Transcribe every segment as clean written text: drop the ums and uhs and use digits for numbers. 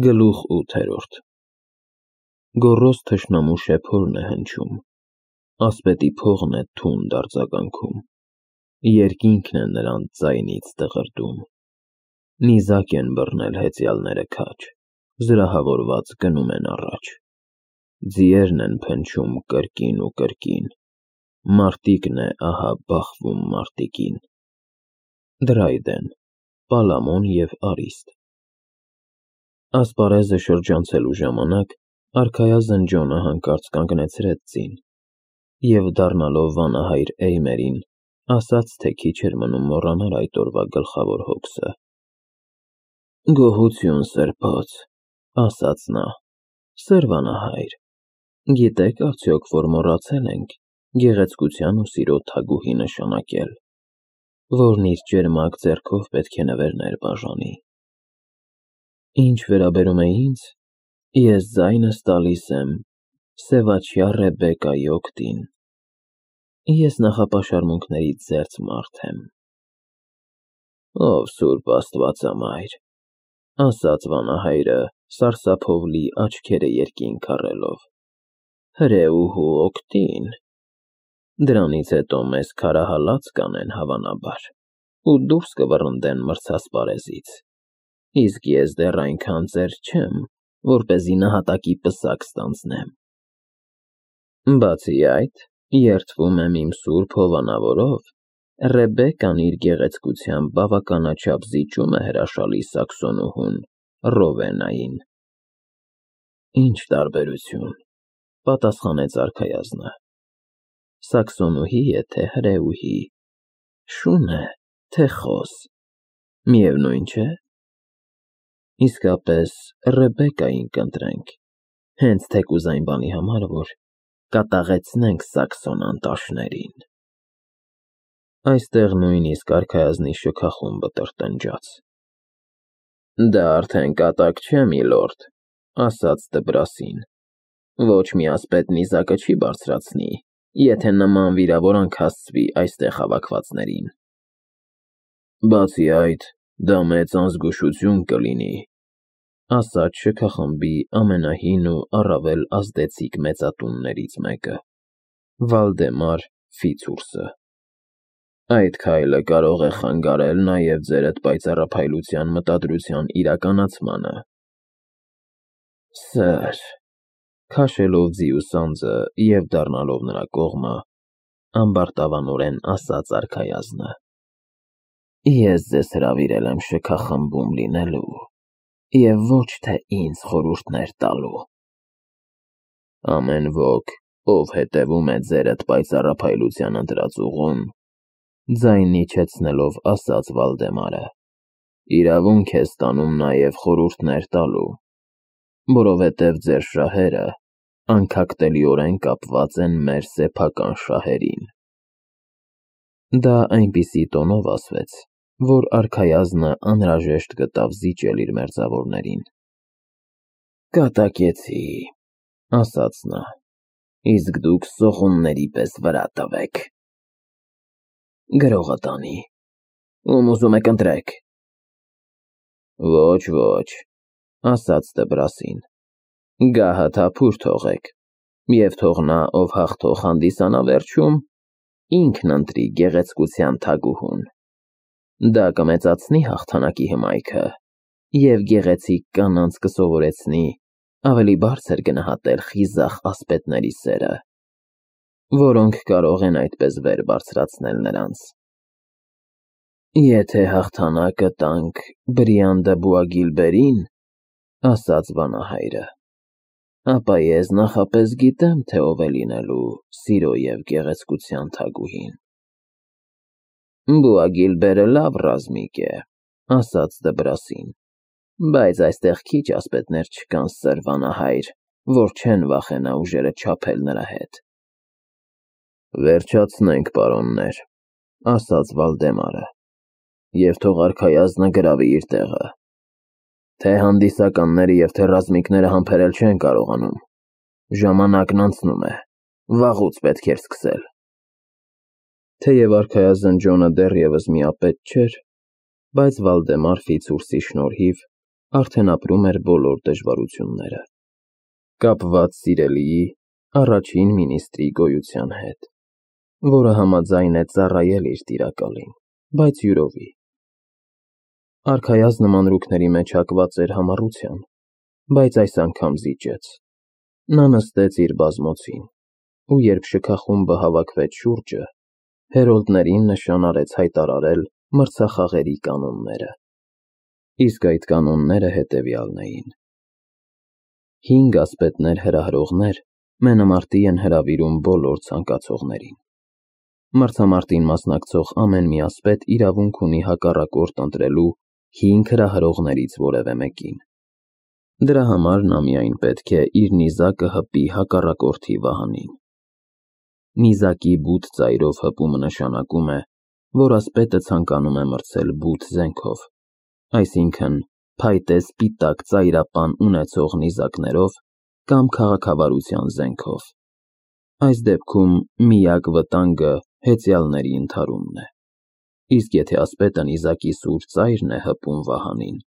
Գլուխ 8 Գոռոզ թշնամու շեփորն է հնչում, ասպետի փողն է թունդ արձագանքում, երկինքն է նրանց ձայնից դղրդում, նիզակ են բռնել հեծյալները քաջ, զրահավորված գնում են առաջ, ձիերն են փնչում կրկին ու կրկին, մարտիկն է ահա բախվում մարտիկին, Դրայդեն, Պալամոն և Արիստ Ասպարեզը շրջանցելու ժամանակ արքայազն Ջոնը հանկարծ կանգնեցրեց ձին և դառնալով վանահայր Էյմերին, ասաց, թե քիչ էր մնում մոռանար այդ օրվա գլխավոր հոգսը. Գոհություն սրբոց, ասաց նա, սեր վանահայր, գիտեք արդյոք, որ մոռացել ենք գեղեցկության ու սիրո թագուհի նշանակել, որն իր ճերմակ ձեռքով պետք է նվերներ բաժանի: Ինչ վերաբերում է ինձ, ես ձայնս տալիս եմ սևաչյա Ռեբեկայի օգտին, ես նախապաշարմունքներից զերծ մարդ եմ: Ով սուրբ աստվածամայր, ասաց վանահայրը, սարսափով լի աչքերը երկինք առելով, հրեուհու օգտին, դրանից հետո մեզ քարահալած կանեն հավանաբար ու դուրս կվռնդեն մրցասպարեզից, իսկ ես դեռ այնքան ծեր չեմ, որպեսզի նահատակի պսակ ստանձնեմ: Բացի այդ, երդվում եմ իմ սուրբ հովանավորով, Ռեբեկան իր գեղեցկությամբ բավականաչափ զիջում է հրաշալի սաքսոնուհուն Ռովենային: Ինչ տարբերություն, պատասխանեց արքայազնը, սաքսոնուհի է, թե հրեուհի, շուն է, թե խոս, միևնույն չէ: Իսկապես Ռեբեկային կընտրենք, հենց թեկուզ այն բանի համար, որ կատաղեցնենք սաքսոն անտաշներին: Այստեղ նույնիսկ արքայազնի շքախումբը տրտնջաց: Դա արդեն կատակ չէ, միլորդ, ասաց Դբրասին, ոչ մի ասպետ նիզակը չի բարձրացնի, եթե նման վիրավորանք հասցվի այստեղ հավաքվածներին: Բացի այդ, դա մեծ անզգուշություն կլինի, ասաց շքախմբի ամենահին ու առավել ազդեցիկ մեծատուններից մեկը, Վալդեմար Ֆիցուրսը: Այդ քայլը կարող է խանգարել նաև ձերդ պայծառափայլության մտադրության իրականացմանը: Սըր, քաշելով ձիու սանձը և դառնալով նրա կողմը, ամբարտավանորեն ասաց արքայազնը, ես ձեզ հրավիրել եմ շքախմբում լինելու և ոչ թե ինձ խորհուրդներ տալու: Ամեն ոք, ով հետևում է ձերդ պայծառափայլության ընտրած ուղուն, ձայն իջեցնելով ասաց Վալդեմարը, իրավունք է ստանում նաև խորհուրդներ տալու, որովհետև ձեր շահերը անքակտելիորեն կապված են մեր սեփական շահերին: Դա այնպիսի տոնով ասվեց, որ արքայազնը անհրաժեշտ գտավ զիջել իր մերձավորներին: Կատակեցի, ասաց նա, իսկ դուք սողունների պես վրա տվեք: Գրողը տանի, ում ուզում եք ընտրեք: Ոչ, ասաց Դբրասին, գահը թափուր թողեք և թող նա, ով հաղթող հանդիսանա վերջում, ինքն ընտրի գեղեցկության թագուհուն: Դա կմեծացնի հաղթանակի հմայքը և գեղեցիկ կանանց կսովորեցնի ավելի բարձր գնահատել խիզախ ասպետների սերը, որոնք կարող են այդպես վեր բարձրացնել նրանց: Եթե հաղթանակը տանք Բրիան դը Բուագիլբերին, ասաց վանահայրը, ապա ես նախապես գիտեմ, թե ով է լինելու սիրո և գեղեցկության թագուհին: Բուագիլբերը լավ ռազմիկ է, ասաց Դբրասին, բայց այստեղ քիչ ասպետներ չկան, սըր վանահայր, որ չեն վախենա ուժերը չափել նրա հետ: Վերջացնենք, պարոններ, ասաց Վալդեմարը, և թող արքայազնը գրավի իր տեղը: Թե հանդիսականները և թե ռազմիկները համբերել չեն կարողանում, ժամանակն անցնում է, վաղուց պետք էր սկսել: Թեև արքայազն Ջոնը դեռևս միապետ չէր, բայց Վալդեմար Ֆիցուրսի շնորհիվ արդեն ապրում էր բոլոր դժվարությունները, կապված սիրելիի առաջին մինիստրի գոյության հետ, որը համաձայն է ծառայել իր տիրակալին, բայց յուրովի։ Արքայազնը մանրուքների մեջ հակված էր համառության, բայց այս անգամ զիջեց։ Նա նստեց իր բազմոցին, ու երբ շքախումբը հավաքվեց շուրջը, հերոլդներին նշան արեց հայտարարել մրցախաղերի կանոնները։ Իսկ այդ կանոնները հետևյալն էին. 5 ասպետներ հրահրողներ մենամարտի են հրավիրում բոլոր ցանկացողներին։ Մրցամարտին մասնակցող ամեն մի ասպետ իրավունք ունի հակառակորդ ընտրելու 5 հրահրողներից որևէ մեկին։ Դրա համար նա միայն պետք է իր նիզակը հպի հակառակորդի վահանին։ Նիզակի բութ ծայրով հպումը նշանակում է, որ ասպետը ցանկանում է մրցել բութ զենքով, այսինքն փայտե սպիտակ ծայրապան ունեցող նիզակներով կամ քաղաքավարության զենքով։ Այս դեպքում միակ վտանգը հեծյալների ընդհարումն է։ Իսկ եթե ասպետը նիզակի սուր ծայրն է հպում վահանին,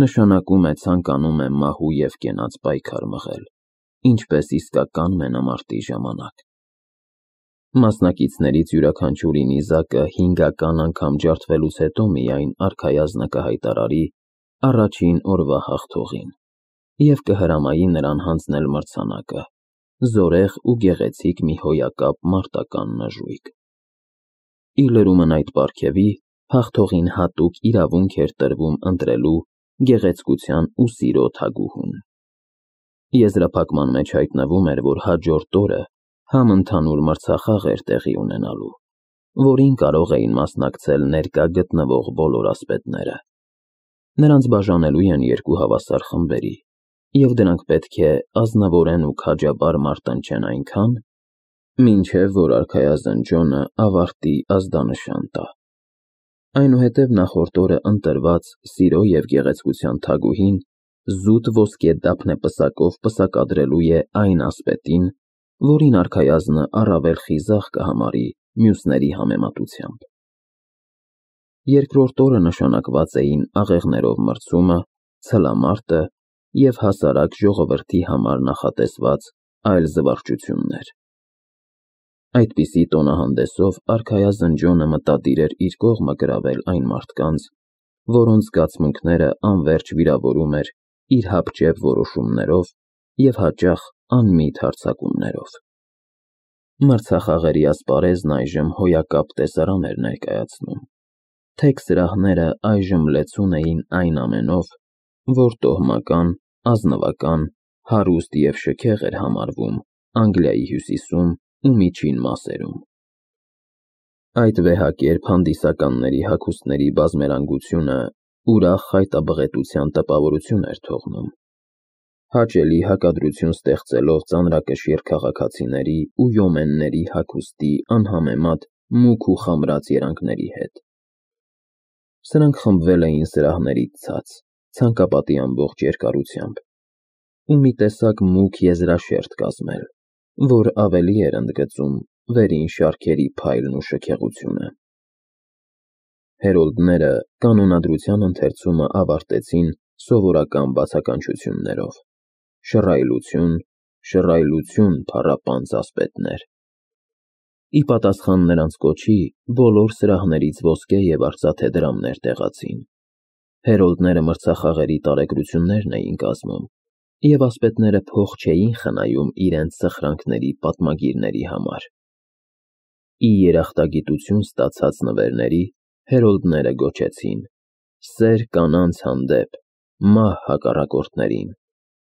նշանակում է ցանկանում է մահու և կենաց պայքար մղել, ինչպես իսկական մենամարտի ժամանակ։ Մասնակիցներից յուրաքանչյուրի նիզակը 5-ական անգամ ջարդվելուց հետո միայն արքայազնը կհայտարարի առաջին օրվա հաղթողին և կհրամայի նրան հանձնել մրցանակը, զորեղ ու գեղեցիկ մի հոյակապ մարտական նժույգ։ Իր լրումն այդ պարգևի հաղթողին հատուկ իրավունք էր տրվում ընտրելու գեղեցկության ու սիրո թագուհուն։ Եզրափակման մեջ հայտնվում էր, որ հաջորդ օրը համընդհանուր մրցախաղ էր տեղի ունենալու, որին կարող էին մասնակցել ներկա գտնվող բոլոր ասպետները։ Նրանց բաժանելու են 2 հավասար խմբերի, և դրանք պետք է ազնվորեն ու քաջաբար մարտնչեն այնքան, մինչև որ արքայազն Ջոնը ավարտի ազդանշան տա։ Այնուհետև նախորդ օրը ընտրված սիրո և գեղեցկության թագուհին զուտ ոսկե դափնեպսակով պսակադրելու է այն ասպետին, որին արքայազնը առավել խիզախ կհամարի մյուսների համեմատությամբ։ Երկրորդ օրը նշանակված էին աղեղներով մրցումը, ցլամարտը և հասարակ ժողովրդի համար նախատեսված այլ զվարճություններ։ Այդպիսի տոնահանդեսով արքայազն Ջոնը մտադիր էր իր կողմը գրավել այն մարդկանց, որոնց զգացմունքները անվերջ վիրավորում էր իր հապճեպ որոշումներով և հաճախ անմիտ հարձակումներով։ Մրցախաղերի ասպարեզն այժմ հոյակապ տեսարան էր ներկայացնում։ Թեք սրահները այժմ լեցուն էին այն ամենով, որ տոհմական, ազնվական, հարուստ և շքեղ էր համարվում Անգլիայի հյուսիսում ու միջին մասերում։ Այդ վեհակերպ հանդիսականների հագուստների բազմերանգությունը ուրախ խայտաբղետության տպավորություն էր թողնում, հաճելի հակադրություն ստեղծելով ծանրակշիռ քաղաքացիների ու յոմենների հագուստի անհամեմատ մուգ ու խամրած երանգների հետ։ Սրանք խմբվել էին սրահներից ցած, ցանկապատի ամբողջ երկարությամբ, ու մի տեսակ մուգ եզրաշերտ կազմել, որ ավելի էր ընդգծում վերին շարքերի փայլն ու շքեղությունը։ Հերոլդները կանոնադրության ընթերցումը ավարտեցին սովորական բացականչություններով. շռայլություն, շռայլություն, փառապանծ ասպետներ։ Ի պատասխան նրանց կոչի բոլոր սրահներից ոսկե և արծաթե դրամներ տեղացին։ Հերոլդները մրցախաղերի տարեգրություններն էին կազմում, և ասպետները փող չէին խնայում իրենց սխրանքների պատմագիրների համար։ Ի երախտագիտություն ստացած նվերների հերոլդները գոչեցին. «Սեր կանանց հանդեպ, մահ հակառակորդներին,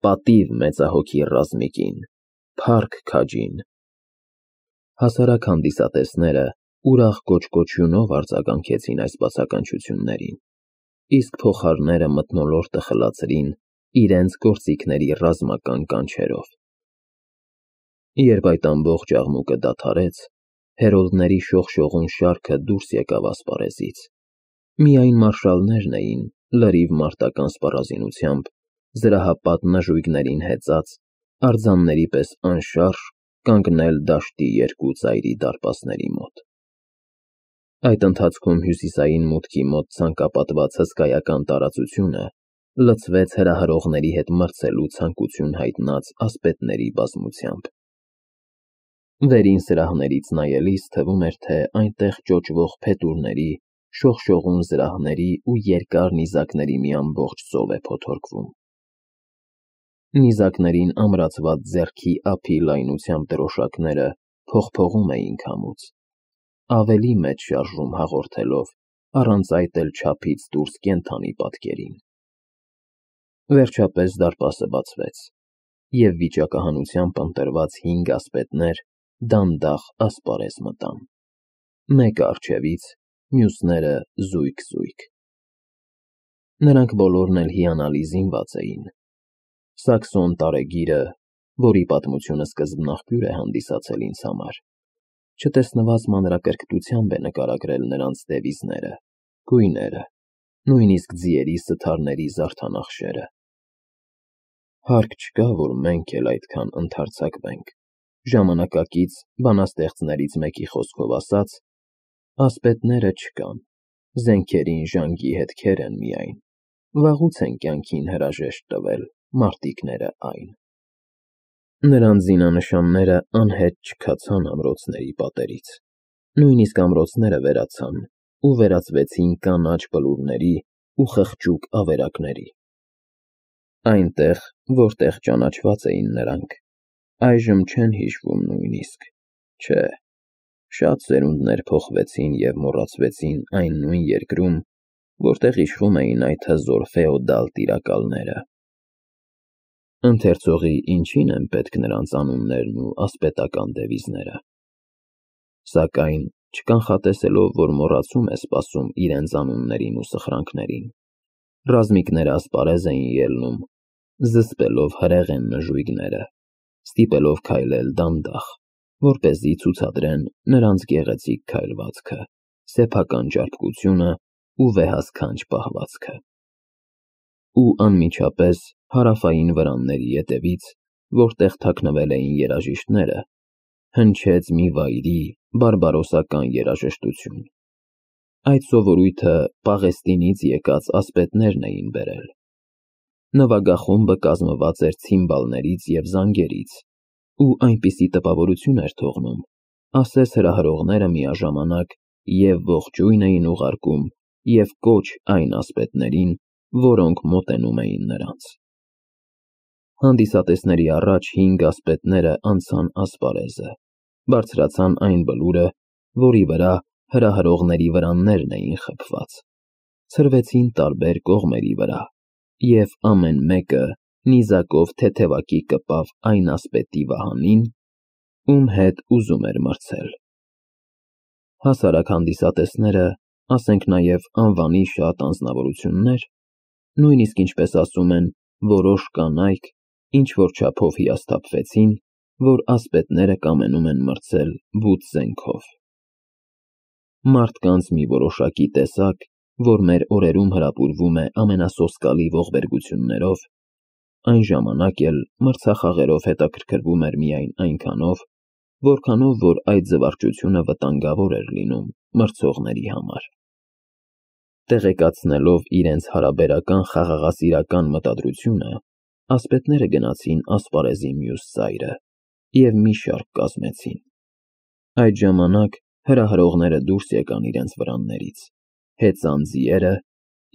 պատիվ մեծահոգի ռազմիկին, փառք քաջին»։ Հասարակ հանդիսատեսները ուրախ կոճկոճյունով արձագանքեցին այս բացականչություններին, իսկ փողահարները մթնոլորտը խլացրին իրենց գործիքների ռազմական կանչերով։ Երբ այդ ամբողջ աղմուկը դադարեց, հերոլդների շողշողուն շարքը դուրս եկավ ասպարեզից։ Միայն մարշալներն էին լրիվ մարտական սպառազինությամբ, զրահապատ նժույգներին հեծած, արձանների պես անշարժ կանգնել դաշտի 2 ծայրի դարպասների մոտ։ Այդ ընթացքում հյուսիսային մուտքի մոտ ցանկապատված հսկայական տարածությունը լցվեց հրահրողների հետ մրցելու ցանկություն հայտնած ասպետների բազմությամբ։ Վերին սրահներից նայելիս թվում էր, թե այնտեղ ճոճվող փետուրների, շողշողուն զրահների ու երկար նիզակների մի ամբողջ ծով է փոթորկվում։ Նիզակներին ամրացված ձեռքի ափի լայնությամբ դրոշակները փողփողում էին քամուց, ավելի մեծ շարժում հաղորդելով, առանց այդ էլ չափից դուրս կենդանի պատկերին։ Վերջապես դարպասը բացվեց, և վիճակահանությամբ ընտրված 5 ասպետներ դանդաղ ասպարեզ մտան, մեկը առջևից, մյուսները զույգ-զույգ։ Նրանք բոլորն էլ հիանալի զինված էին։ Սաքսոն տարեգիրը, որի պատմությունը սկզբնաղբյուր է հանդիսացել ինձ համար, չտեսնված մանրակրկտությամբ է նկարագրել նրանց դևիզները, գույները, նույնիսկ ձիերի սթարների զարդանախշերը։ Հարկ չկա, որ մենք էլ այդքան ընդարձակվենք, ժամանակակից բանաստեղծներից մեկի խոսքով ասած, ասպետները չկան, զենքերին ժանգի հետքեր են միայն, վաղուց են կյանքին հրաժեշտ տվել մարտիկները այն։ Նրանց զինանշանները անհետ չքացան ամրոցների պատերից, նույնիսկ ամրոցները վերացան ու վերածվեցին կանաչ բլուրների ու խղճուկ ավերակների։ Այնտեղ, որտեղ ճանաչված էին նրանք, այժմ չեն հիշվում նույնիսկ, չէ, շատ սերունդներ փոխվեցին և մոռացվեցին այն նույն երկրում, որտեղ իշխում էին այդ հզոր ֆեոդալ տիրակալները։ Ընթերցողի ինչին են պետք նրանց անուններն ու ասպետական դևիզները։ Սակայն, չկանխատեսելով, որ մոռացում է սպասում իրենց անուններին ու սխրանքներին, ռազմիկները ասպարեզ էին ելնում, զսպելով հրեղեն նժույգները, ստիպելով քայլել դանդաղ, որպեսզի ցուցադրեն նրանց գեղեցիկ քայլվածքը, սեփական ճարպկությունը ու վեհասքանչ պահվածքը։ Ու անմիջապես հարավային վրանների ետևից, որտեղ թաքնվել էին երաժիշտները, հնչեց մի վայրի, բարբարոսական երաժշտություն։ Այդ սովորույթը Պաղեստինից եկած ասպետներն էին բերել։ Նվագախումբը կազմված էր ցիմբալներից և զանգերից, ու այնպիսի տպավորություն էր թողնում, ասես հրահրողները միաժամանակ և ողջույն էին ուղարկում, և կոչ այն ասպետներին, որոնք մոտենում էին նրանց։ Հանդիսատեսների առաջ 5 ասպետները անցան ասպարեզը, բարձրացան այն բլուրը, որի վրա հրահրողների վրաններն էին խփված, ցրվեցին տարբեր կողմերի վրա, և ամեն մեկը նիզակով թեթևակի կպավ այն ասպետի վահանին, ում հետ ուզում էր մրցել։ Հասարակ հանդիսատեսները, ասենք նաև անվանի շատ անձնավորություններ, նույնիսկ ինչպես ասում են, որոշ կանայք, ինչ-որ չափով հիասթափվեցին, որ ասպետները կամենում են մրցել բութ զենքով։ Մարդկանց մի որոշակի տեսակ, որ մեր օրերում հրապուրվում է ամենասոսկալի ողբերգություններով, այն ժամանակ էլ մրցախաղերով հետաքրքրվում էր միայն այնքանով, որքանով որ այդ զվարճությունը վտանգավոր էր լինում մրցողների համար։ Տեղեկացնելով իրենց հարաբերական խաղաղասիրական մտադրությունը, ասպետները գնացին ասպարեզի մյուս ծայրը և մի շարք կազմեցին։ Այդ ժամանակ հրահրողները դուրս եկան իրենց վրաններից, հեծան ձիերը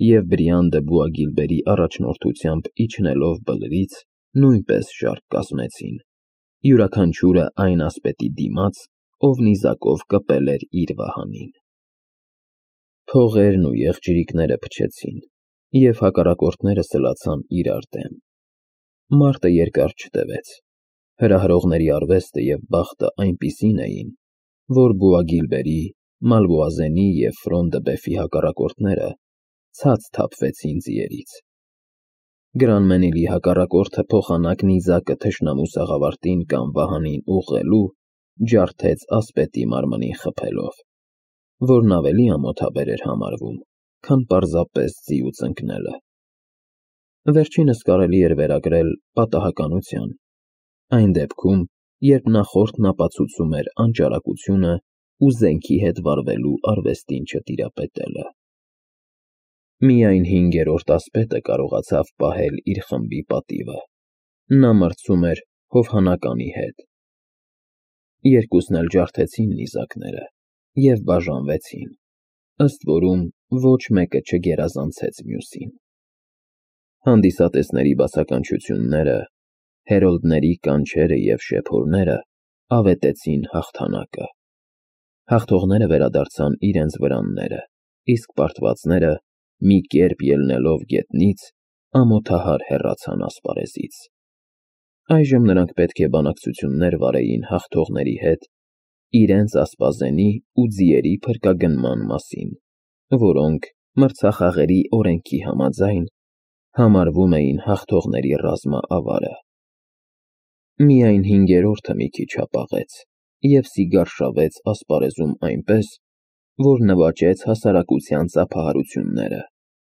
և Բրիան դը Բուագիլբերի առաջնորդությամբ իջնելով բլրից, նույնպես շարք կազմեցին, յուրաքանչյուրը այն ասպետի դիմաց, ով նիզակով կպել էր իր վահանին։ Փողերն ու եղջյուրիկները փչեցին, և հակառակորդները սլացան իրար դեմ։ Մարտը երկար չտևեց։ Հրահրողների արվեստը և բախտը այնպիսին էին, որ Բուագիլբերի, Մալվոազենի և Ֆրոն դը Բեֆի հակառակորդները ցած թափվեցին ձիերից։ Գրանմենիլի հակառակորդը փոխանակ նիզակը թշնամու սաղավարտին կամ վահանին ուղղելու, ջարդեց ասպետի մարմնին խփելով, որն ավելի ամոթաբեր էր համարվում, քան պարզապես ձիուց ընկնելը։ Վերջինս կարելի էր վերագրել պատահականության, այն դեպքում, երբ նախորդն ապացուցում էր անճարակությունը ու զենքի հետ վարվելու արվեստին չտիրապետելը։ Միայն 5-րդ ասպետը կարողացավ պահել իր խմբի պատիվը. նա մրցում էր հովհանականի հետ։ Երկուսն էլ ջարդեցին նիզակները և բաժանվեցին, ըստ որում ոչ մեկը չգերազանցեց մյուսին։ Հանդիսատեսների բացականչությունները, հերոլդների կանչերը և շեփորները ավետեցին հաղթանակը։ Հաղթողները վերադարձան իրենց վրանները, իսկ պարտվածները, մի կերպ ելնելով գետնից, ամոթահար հեռացան ասպարեզից։ Այժմ նրանք պետք է բանակցություններ վարեին հաղթողների հետ իրենց ասպազենի ու ձիերի փրկագնման մասին, որոնք մրցախաղերի օրենքի համաձայն համարվում էին հաղթողների ռազմաավարը։ Միայն 5-րդը մի քիչ հապաղեց և սիգար շավեց ասպարեզում այնպես, որ նվաճեց հասարակության ծափահարությունները,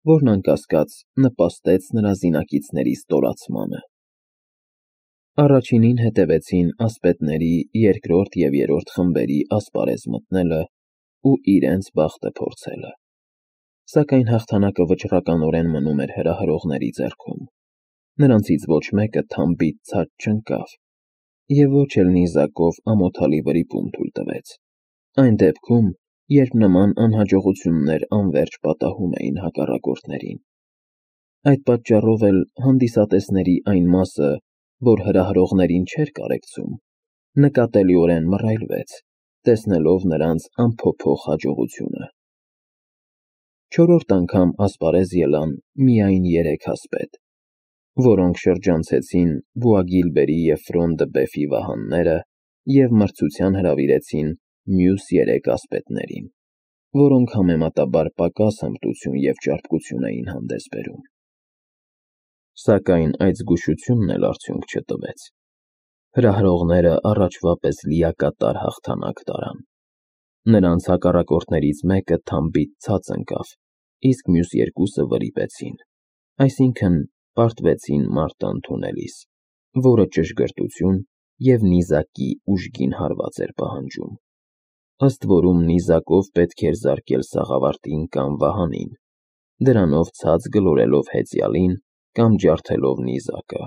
որն անկասկած նպաստեց նրա զինակիցների ստորացմանը։ Առաջինին հետևեցին ասպետների երկրորդ և երրորդ խմբերի ասպարեզ մտնելը ու իրենց բախտը փորձելը։ Սակայն հաղթանակը վճռականորեն մնում էր հրահրողների ձեռքում։ Նրանցից ոչ մեկը թամբից ցած չընկավ և ոչ էլ նիզակով ամոթալի վրիպում թույլ տվեց, այն դեպքում, երբ նման անհաջողություններ անվերջ պատահում էին հակառակորդներին։ Այդ պատճառով էլ հանդիսատեսների այն մասը, որ հրահրողներին չէր կարեկցում, նկատելիորեն մռայլվեց, տեսնելով նրանց անփոփոխ հաջողությունը։ Չորրորդ անգամ ասպարեզ ելան միայն 3 ասպետ, որոնք շրջանցեցին Բուագիլբերի և Ֆրոն դը Բեֆի վահանները և մրցության հրավիրեցին մյուս 3 ասպետներին, որոնք համեմատաբար պակաս հմտություն և ճարպկություն էին հանդես բերում։ Սակայն այդ զգուշությունն էլ արդյունք չտվեց։ Հրահրողները առաջվա պես լիակատար հաղթանակ տարան։ Նրանց հակառակորդներից մեկը թամբից ցած ընկավ, իսկ մյուս երկուսը վրիպեցին, այսինքն՝ պարտվեցին մարտը ընդունելիս, որը ճշգրտություն և նիզակի ուժգին հարված էր պահանջում, ըստ որում նիզակով պետք էր զարկել սաղավարտին կամ վահանին, դրանով ցած գլորելով հեծյալին կամ ջարդելով նիզակը։